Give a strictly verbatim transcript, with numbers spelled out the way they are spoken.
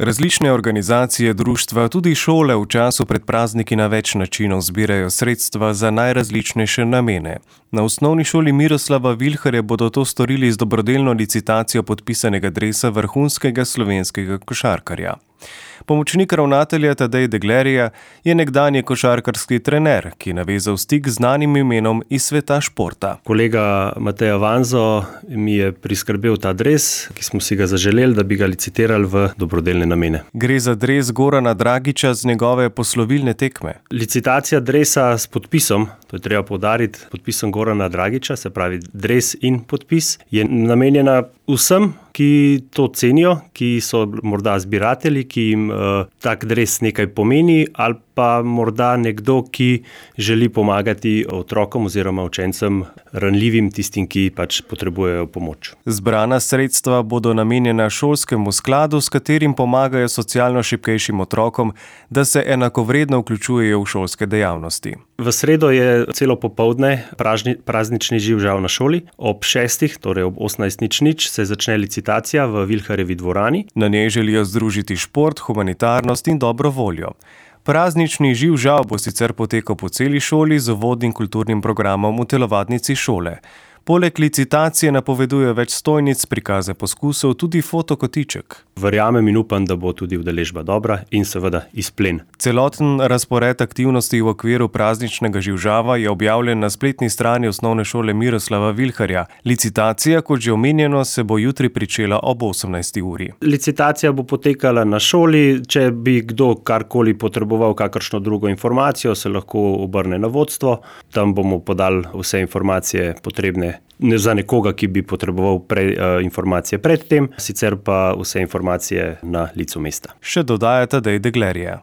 Različne organizacije, društva, tudi šole v času pred prazniki na več načinov zbirajo sredstva za najrazličnejše namene. Na osnovni šoli Miroslava Vilharja bodo to storili z dobrodelno licitacijo podpisanega dresa vrhunskega slovenskega košarkarja. Pomočnik ravnatelja Tadej Deglerija je nekdanji košarkarski trener, ki je navezal stik z znanim imenom iz sveta športa. Kolega Matej Avanzo mi je priskrbel ta dres, ki smo si ga zaželeli, da bi ga licitirali v dobrodelne namene. Gre za dres Gorana Dragića z njegove poslovilne tekme. Licitacija dresa s podpisom, to je treba poudariti, podpisom Gorana Dragića, se pravi dres in podpis, je namenjena vsem, ki to cenijo, ki so morda zbiratelji, ki jim uh, tak dres nekaj pomeni, ali pa morda nekdo, ki želi pomagati otrokom oziroma učencem ranljivim, tistim, ki pač potrebujejo pomoč. Zbrana sredstva bodo namenjena šolskemu skladu, s katerim pomagajo socialno šibkejšim otrokom, da se enakovredno vključujejo v šolske dejavnosti. V sredo je celo popoldne pražni, praznični živžav na šoli. Ob šestih, torej ob osemnajst nič nič, se začne licitacija v Vilharjevi dvorani. Na njej želijo združiti šport, humanitarnost in dobro voljo. Praznični živžav bo sicer potekal po celi šoli z uvodnim kulturnim programom v telovadnici šole. Poleg licitacije napoveduje več stojnic, prikaze poskusov, tudi fotokotiček. Verjamem in upam, da bo tudi udeležba dobra in seveda izplen. Celoten razpored aktivnosti v okviru prazničnega živžava je objavljen na spletni strani osnovne šole Miroslava Vilharja. Licitacija, kot že omenjeno, se bo jutri pričela ob osemnajsti uri. Licitacija bo potekala na šoli. Če bi kdo karkoli potreboval kakršno drugo informacijo, se lahko obrne na vodstvo. Tam bomo podali vse informacije potrebne za nekoga, ki bi potreboval pre, uh, informacije pred tem, sicer pa vse informacije na licu mesta. Še dodaja Tadej Deglerija.